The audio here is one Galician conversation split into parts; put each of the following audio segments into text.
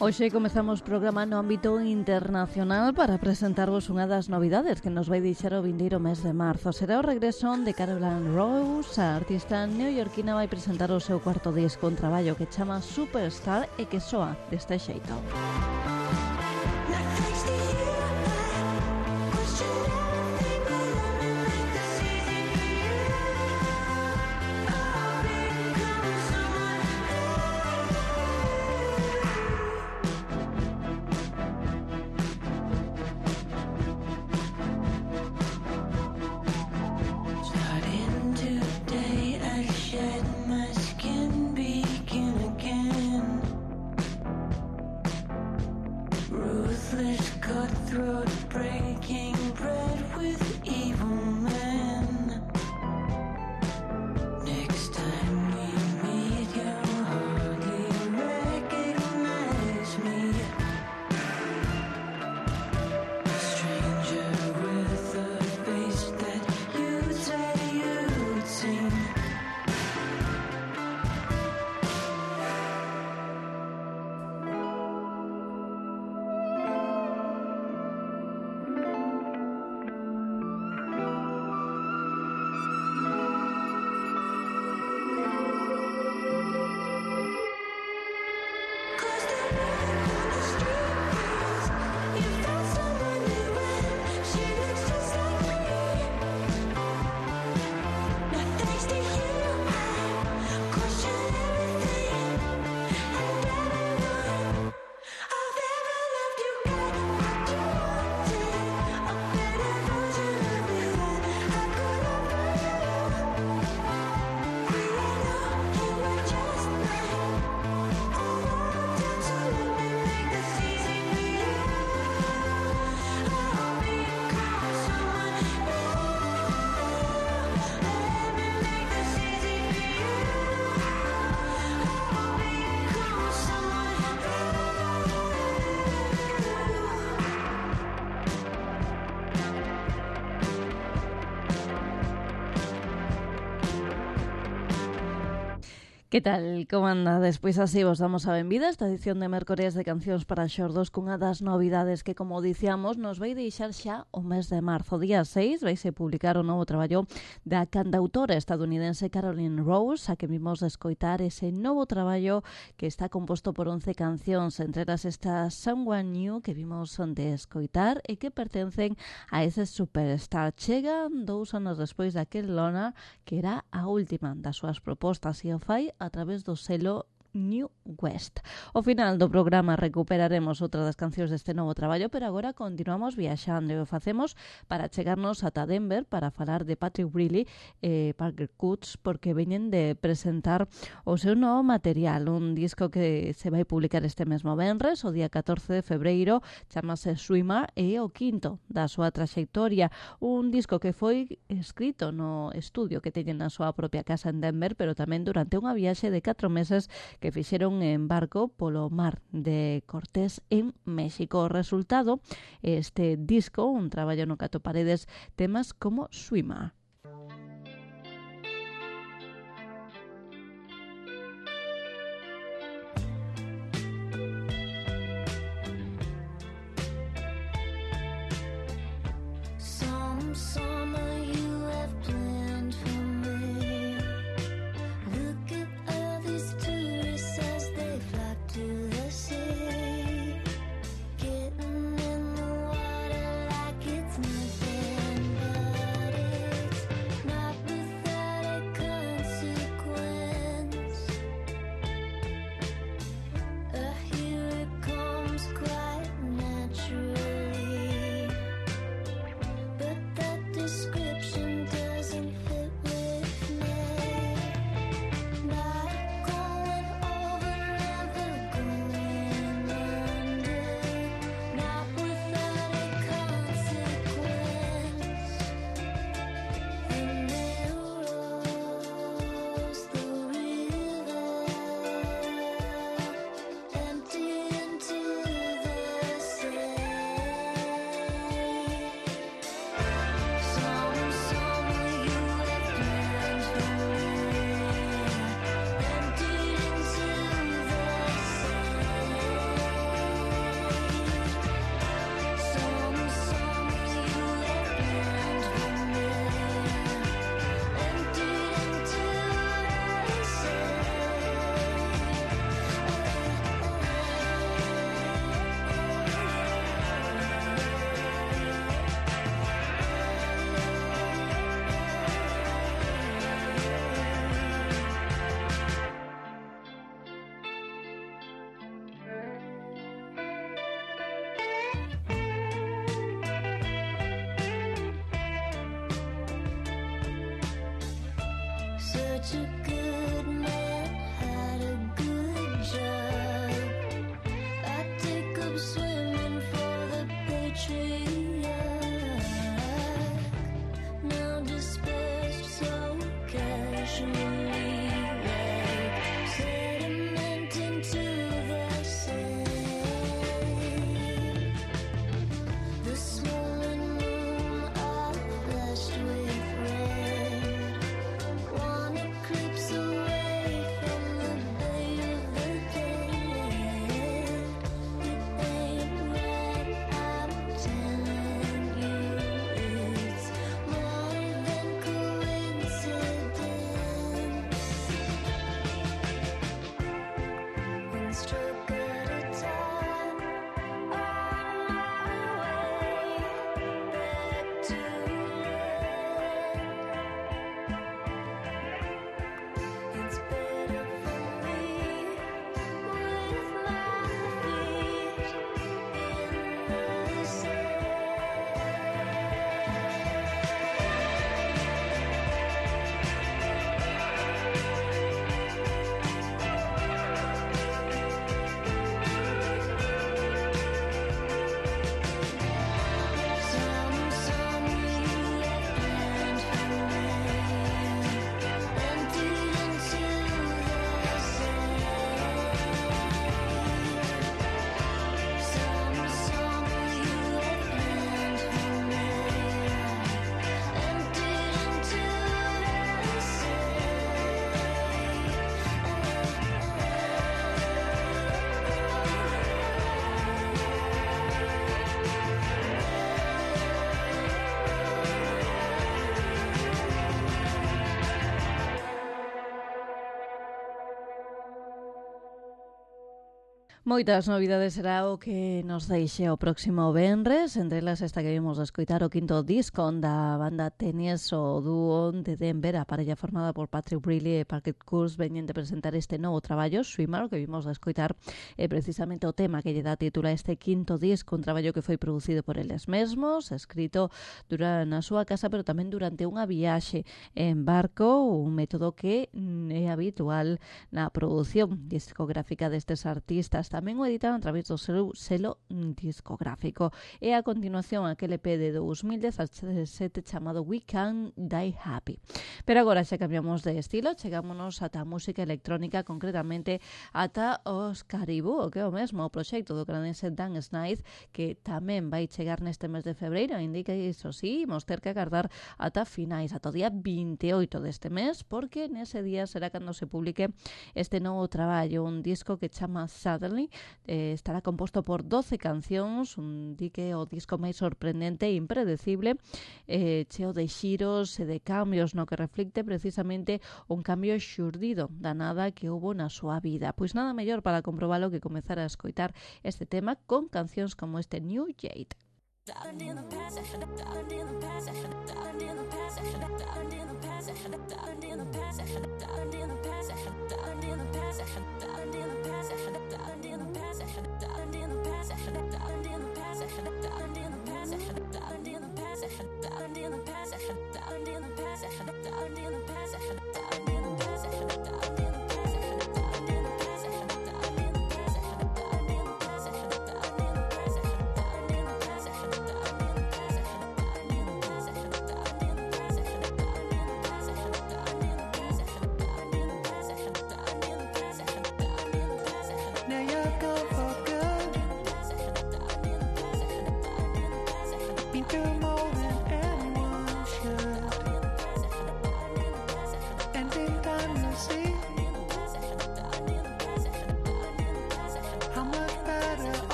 Hoxe comezamos programa no ámbito internacional para presentarvos unha das novidades que nos vai deixar o vindeiro mes de marzo. Será o regreso de Caroline Rose. A artista neoyorquina vai presentar o seu cuarto disco, un traballo que chama Superstar e que soa deste xeito. Que tal? Como anda? Despois así vos damos a benvida a esta edición de Mércores de Cancións para Xordos cunha das novidades que, como dicíamos, nos vai deixar xa o mes de marzo. Día 6 vaise publicar o novo traballo da cantautora estadounidense Caroline Rose, a que vimos de escoitar ese novo traballo que está composto por 11 cancións, entre elas esta Someone New que vimos de escoitar e que pertencen a ese Superstar. Chegan 2 anos despois daquel Lona, que era a última das súas propostas, e o fai a través do selo New West. Ao final do programa recuperaremos outra das cancións deste novo traballo, pero agora continuamos viaxando e o facemos para chegarnos ata Denver para falar de Patrick Breeley e Parker Coots, porque veñen de presentar o seu novo material, un disco que se vai publicar este mesmo venres, o día 14 de febreiro, chamase Swimmer e o quinto da súa traxectoria, un disco que foi escrito no estudio que teñen na súa propia casa en Denver, pero tamén durante unha viaxe de 4 meses que fixeron en barco polo mar de Cortés en México. O resultado, este disco, un traballo no que atoparedes temas como Swimmer. Getting in the water like it's nothing but it's Such a good man had a good job. I take up swimming for the Patriot. Now dispersed so casually, like sediment into the sand. The swollen moon are flushed with red. One eclipse away from the bay of the dead. It ain't right, I'm telling you. It's more than coincidence. One stroke at a time, on my way back to land. It's better for me with my feet in the sand. Some you left planned for me, emptied into the sand. Some you left planned for me, emptied into the Moitas novidades será o que nos deixe o próximo venres, entre elas esta que vimos a escoitar o quinto disco da banda Tenies, o dúo de Denver, a parella formada por Patrick Briley e Parker Kurz, veñen de presentar este novo traballo, Swimmer, o que vimos a escoitar precisamente o tema que lle dá título a este quinto disco, un traballo que foi producido por eles mesmos, escrito na súa casa, pero tamén durante unha viaxe en barco, un método que é habitual na produción discográfica destes artistas. Tamén o editan a través do selo discográfico. E a continuación aquel EP de 2017 chamado We Can Die Happy. Pero agora xa cambiamos de estilo, chegámonos ata a música electrónica, concretamente ata os Caribou, o que é o mesmo o proxecto do canadiense Dan Smith, que tamén vai chegar neste mes de febreiro. Indica iso sí, imos ter que agardar ata finais, ata o día 28 deste mes, porque nese día será cando se publique este novo traballo, un disco que chama Suddenly. Estará composto por 12 cancións, un dique o disco máis sorprendente e impredecible, cheo de xiros e de cambios, no que reflicte precisamente un cambio xurdido da nada que houbo na súa vida. Pois nada mellor para comprobalo que comezar a escoitar este tema con cancións como este New Jade.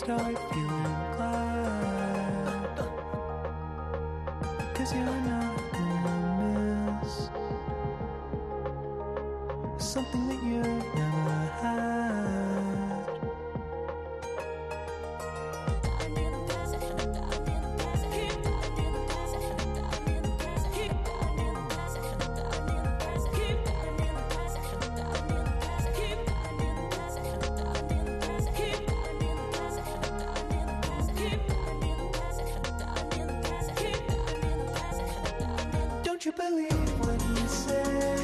Start feeling glad, 'cause you're not gonna miss something that you never had. Don't you believe when he says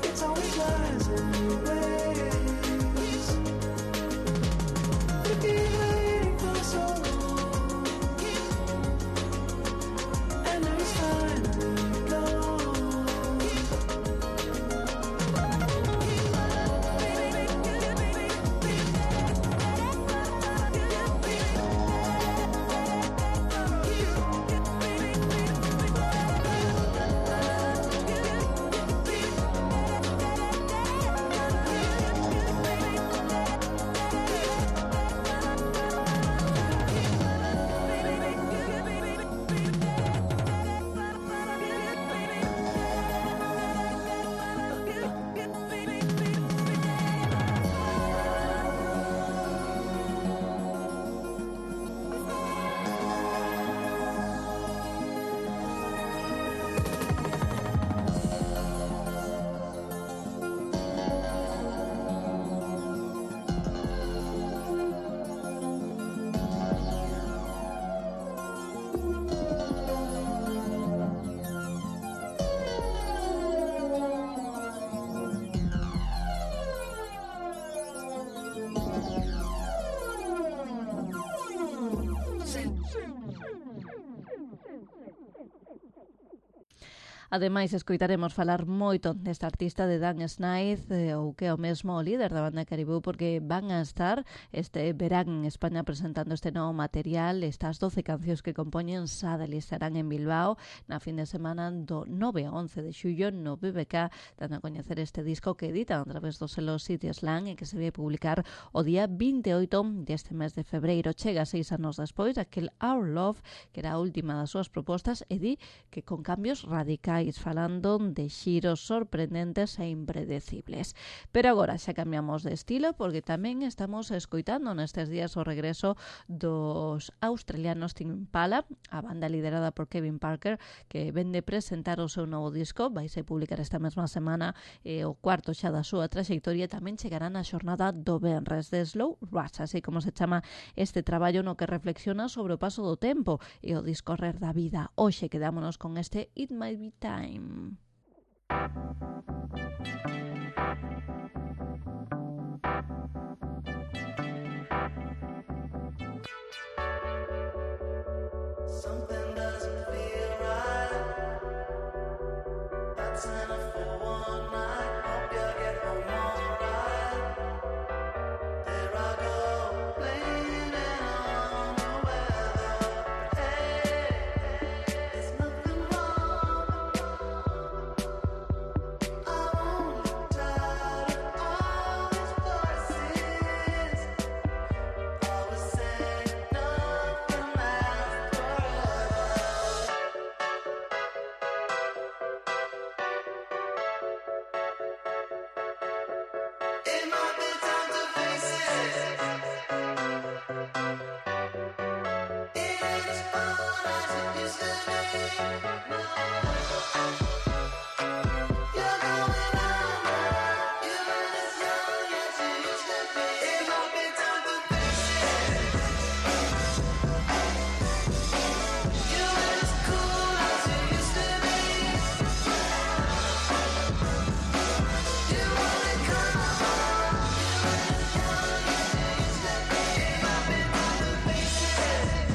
it's always lies anyways? You've been waiting for so long, and now he's finally gone. Ademais, escoitaremos falar moito desta artista de Dan Smith, ou que é o mesmo líder da banda Caribou, porque van a estar este verán en España presentando este novo material. Estas 12 cancións que compoñen Sadel estarán en Bilbao na fin de semana do 9 a 11 de xullo no BBK, dando a coñecer este disco que editan a través do selo City Slang e que se vai publicar o día 28 deste mes de febreiro. Chega 6 anos despois aquel Our Love, que era a última das súas propostas, e di que con cambios radicais, falando de xiros sorprendentes e impredecibles. Pero agora xa cambiamos de estilo, porque tamén estamos escoitando nestes días o regreso dos australianos Tame Impala, a banda liderada por Kevin Parker, que ven de presentar o seu novo disco. Vaise publicar esta mesma semana o cuarto xa da súa traxectoria. Tamén chegará na xornada do venres de Slow Rush, así como se chama este traballo no que reflexiona sobre o paso do tempo e o discorrer da vida. Hoxe quedámonos con este It Might Be Time. Something doesn't feel right. That's enough for one night. Hope you get home alright. There I go, blaming on the weather. Hey, there's nothing wrong. I'm only tired of all these voices. Always saying nothing lasts forever. It might be time to face it. It ain't as fun as it used to be. No. You're going under. You ain't as young as you used to be. It might be time to face it. You ain't as cool as you used to be. You wanna come on. You ain't as young as you used to be. It might be time to face it.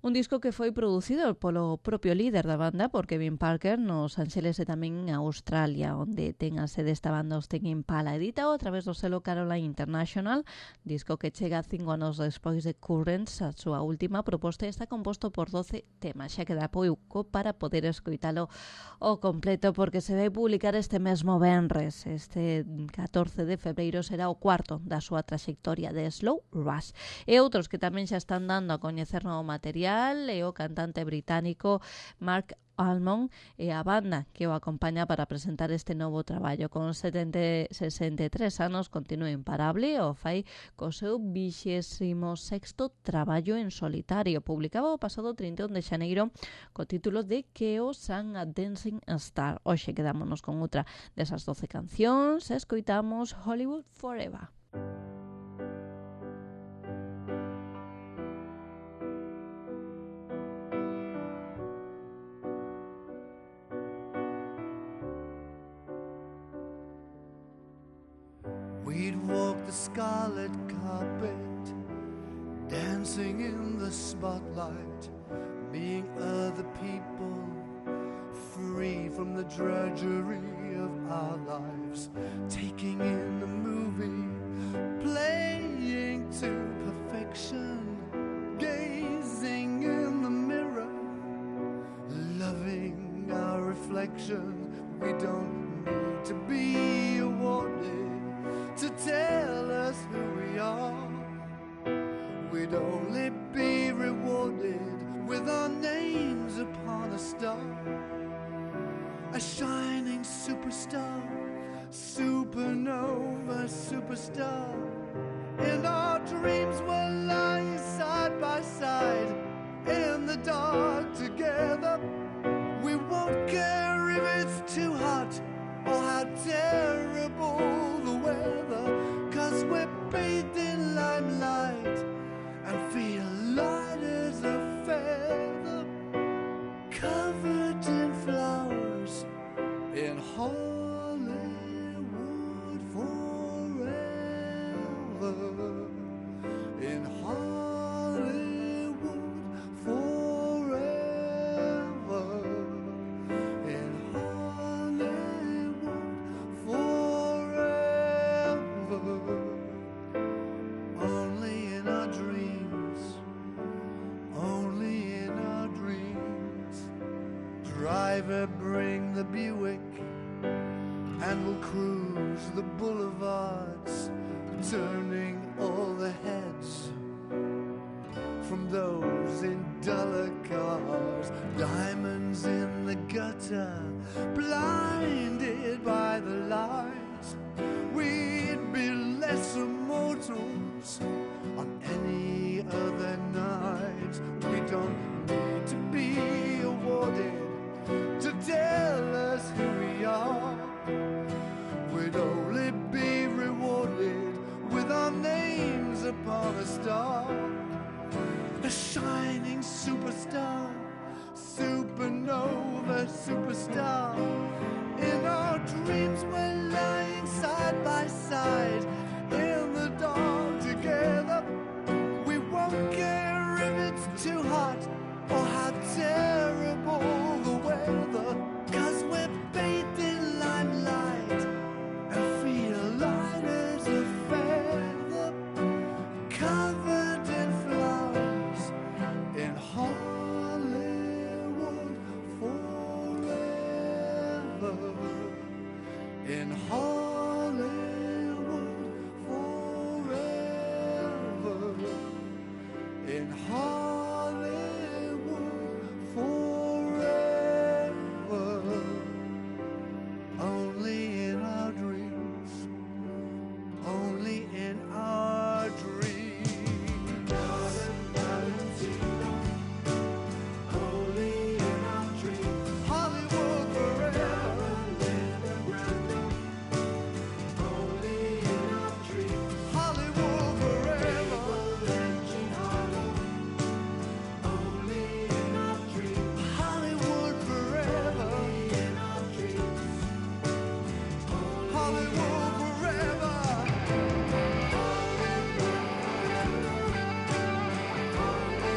Un disco que foi producido polo propio líder da banda, por Kevin Parker, nos Ángeles e tamén en Australia, onde ten a sede esta banda os Tame Impala. Editado a través do selo Caroline International, disco que chega 5 anos despois de Currents, a súa última proposta, está composto por 12 temas. Xa queda pouco para poder escoitalo ao completo, porque se vai publicar este mesmo venres. Este 14 de febreiro será o cuarto da súa traxectoria de Slow Rush. E outros que tamén xa están dando a coñecer novo material e o cantante británico Mark Almond e a banda que o acompaña para presentar este novo traballo. Con 63 anos continúa imparable, o fai co seu 26º traballo en solitario. Publicaba o pasado 31 de xaneiro co título de Chaos and a Dancing Star. Hoxe quedámonos con outra desas 12 cancións e escoitamos Hollywood Forever. We'd walk the scarlet carpet, dancing in the spotlight, being other people, free from the drudgery of our lives, taking in the movie, playing to perfection, gazing in the mirror, loving our reflection. We don't need to be awarded to tell us who we are. We'd only be rewarded with our names upon a star, a shining superstar, supernova superstar. And our dreams were lying side by side in the dark together. We won't care if it's too hot or how terrible the weather, 'cause we're bathed in limelight and feel light as a feather, covered in flowers in Hollywood forever, in Hollywood forever, in Hollywood forever. Only in our dreams, only in our dreams. Driver, bring the Buick, and we'll cruise the boulevards, turning all the heads from those in duller cars. Diamonds in the gutter, blinded by the lights. We'd be lesser mortals we'd only be rewarded with our names upon a star, a shining superstar, supernova superstar. In our dreams we're lying side by side in the dark together. We won't care if it's too hot or how terrible the weather, 'cause we're bathed in limelight and feel light as a feather, covered in flowers in Hollywood forever. In Hollywood forever. In Hollywood forever. Only in our dreams. Only in our dreams. Only in our dreams. Hollywood forever. Only in our dreams. Hollywood forever. Only in our dreams. Hollywood forever. Hollywood forever. Hollywood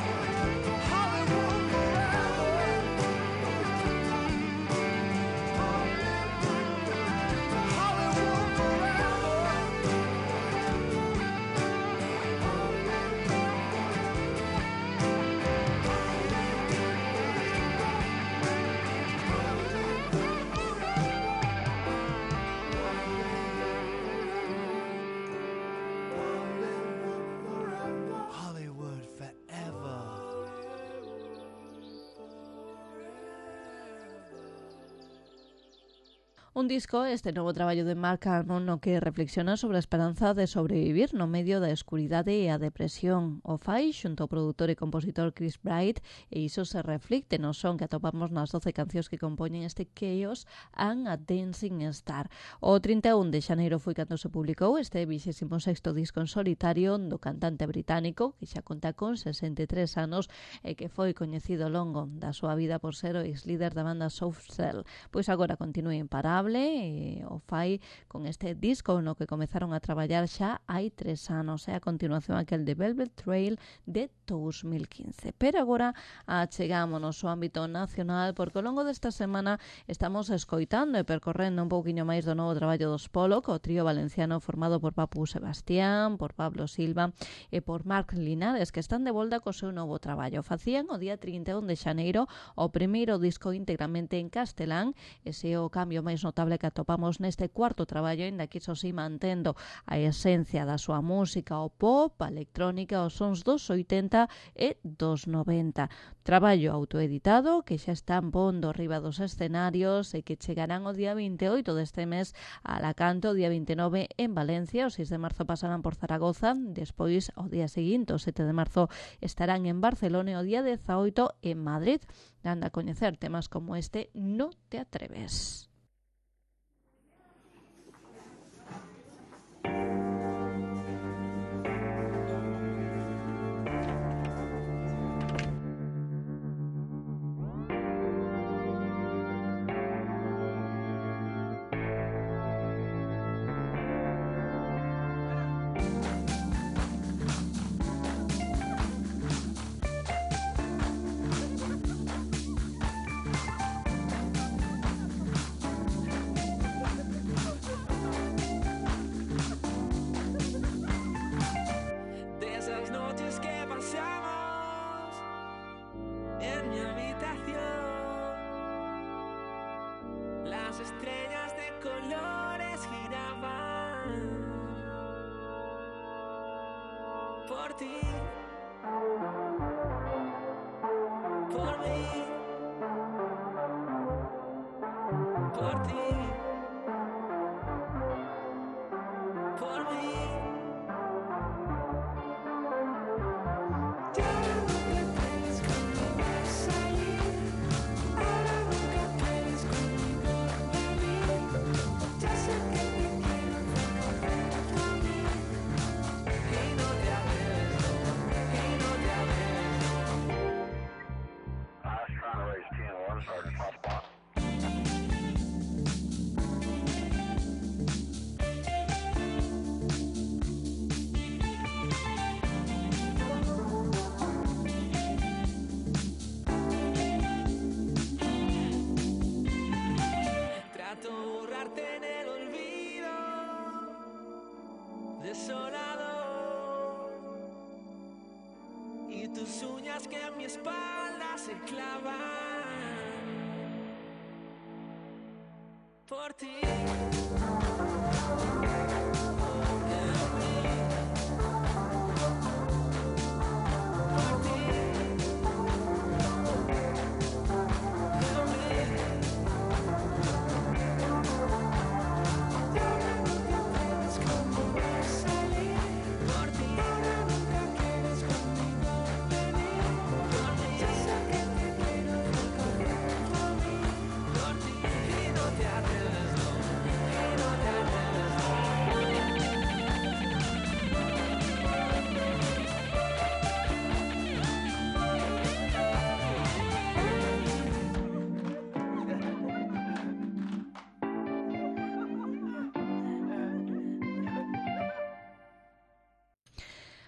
forever. Hollywood forever. Hollywood forever. Un disco, este novo traballo de Mark Almond, no que reflexiona sobre a esperanza de sobrevivir no medio da escuridade e a depresión. O fai xunto ao produtor e compositor Chris Bright, e iso se reflicte no son que atopamos nas 12 cancións que compoñen este Chaos and a Dancing Star. O 31 de xaneiro foi cando se publicou este 26º disco en solitario do cantante británico, que xa conta con 63 anos e que foi coñecido ao longo da súa vida por ser o ex-líder da banda Soft Cell. Pois agora continúa imparable e o fai con este disco no que comezaron a traballar xa hai 3 anos. É a continuación aquel de Velvet Trail de 2015. Pero agora achegámonos ao ámbito nacional, porque ao longo desta semana estamos escoitando e percorrendo un pouquiño máis do novo traballo dos Pollock, o trío valenciano formado por Papu Sebastián, por Pablo Silva e por Marc Linares, que están de volta co seu novo traballo. Facían o día 31 de xaneiro o primeiro disco íntegramente en castelán. Ese é o cambio máis notable que atopamos neste cuarto traballo, ainda que iso si mantendo a esencia da súa música, o pop, a electrónica, os sons dos 80 e dos 90. Traballo autoeditado que xa están pondo arriba dos escenarios e que chegarán o día 28 deste mes a Alacanto, o día 29 en Valencia, o 6 de marzo pasarán por Zaragoza, despois o día seguinte, o 7 de marzo, estarán en Barcelona e o día 18 en Madrid, dando a coñecer temas como este No te atreves. Estrellas de colores giraban por ti, por mí, por ti, por mí. Ya nunca puedes conmigo salir, ahora nunca puedes conmigo venir. Ya se días que en mi espalda se clavan por ti.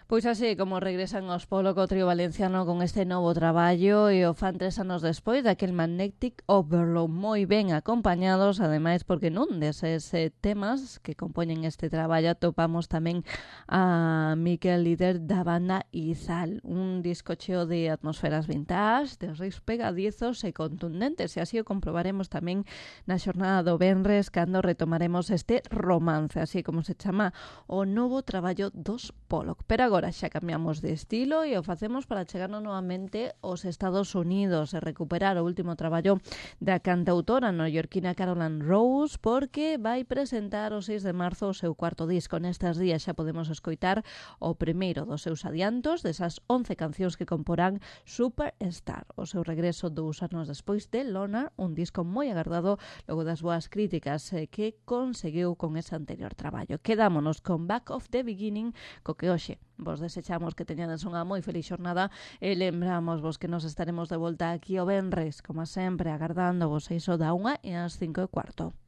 Pois así como regresan aos Polo co trío valenciano con este novo traballo e o fan 3 anos despois daquel Magnetic Overload, moi ben acompañados, ademais porque nun deses temas que compoñen este traballo topamos tamén a Miquel, líder da banda Izal, un disco cheo de atmosferas vintage, de riffs pegadizos e contundentes, e así o comprobaremos tamén na xornada do venres cando retomaremos este romance, así como se chama o novo traballo dos Pollock. Pero agora xa cambiamos de estilo e o facemos para chegarnos novamente aos Estados Unidos e recuperar o último traballo da cantautora neoyorquina Caroline Rose, porque vai presentar o 6 de marzo o seu cuarto disco. Nestes días xa podemos escoitar o primeiro dos seus adiantos, desas 11 cancións que comporán Superstar, o seu regreso 2 anos despois de Loner, un disco moi agardado logo das boas críticas que conseguiu con ese anterior traballo. Quedámonos con Back of the Beginning, co que hoxe vos desechamos que teñades unha moi feliz xornada e lembramos vos que nos estaremos de volta aquí o venres, como sempre, agardando vos 6 da 1 e as 5:15.